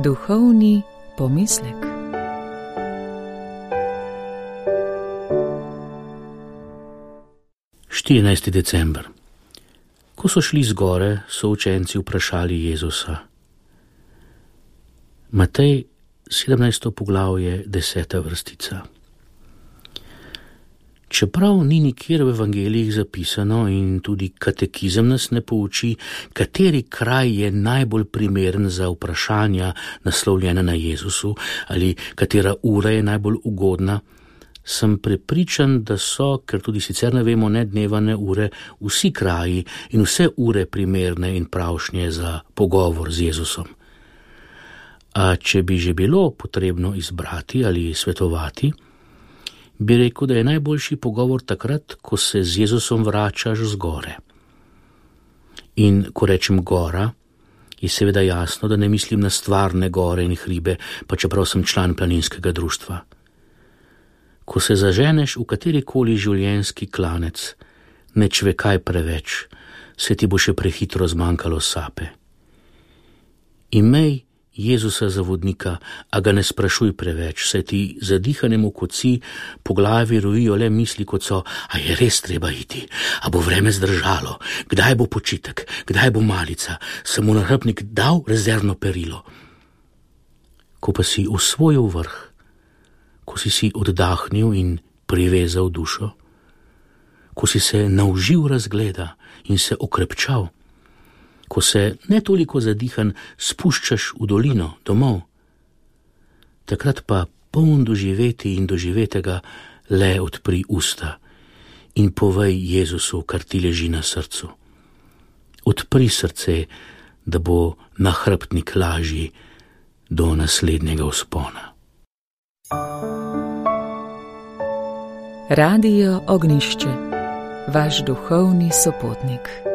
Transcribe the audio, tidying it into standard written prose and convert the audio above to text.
Duhovni pomislek. December. Ko so šli z gore, so učenci vprašali Jezusa. Matej, 17. poglavje, 10. vrstica. Čeprav ni nikjer v evangelijih zapisano in tudi katekizem nas ne pouči, kateri kraj je najbolj primeren za vprašanja naslovljena na Jezusu ali katera ura je najbolj ugodna, sem prepričan, da so, ker tudi sicer ne vemo ne dneva ne ure, vsi kraji in vse ure primerne in pravšnje za pogovor z Jezusom. A če bi že bilo potrebno izbrati ali svetovati, bi rekel, da je najboljši pogovor takrat, ko se z Jezusom vračaš z gore. In ko rečem gora, je seveda jasno, da ne mislim na stvarne gore in hribe, pa čeprav sem član planinskega društva. Ko se zaženeš v katerikoli življenjski klanec, ne čvekaj preveč, se ti bo še prehitro zmanjkalo sape. Imej Jezusa za vodnika, a ga ne sprašuj preveč, saj ti zadihanemu koci po glavi rojijo le misli, kot so, a je res treba iti, a bo vreme zdržalo, kdaj bo počitek, kdaj bo malica, sem mu na hrbtnik dal rezervno perilo. Ko pa si osvojil vrh, ko si oddahnil in privezal dušo, ko si se naužil razgleda in se okrepčal, ko se ne toliko zadihan spuščaš v dolino domov, takrat pa poln doživeti in doživetega le odpri usta in povej Jezusu, kar ti leži na srcu. Odpri srce, da bo nahrbtnik lažji do naslednjega vzpona. Radio Ognjišče, vaš duhovni sopotnik.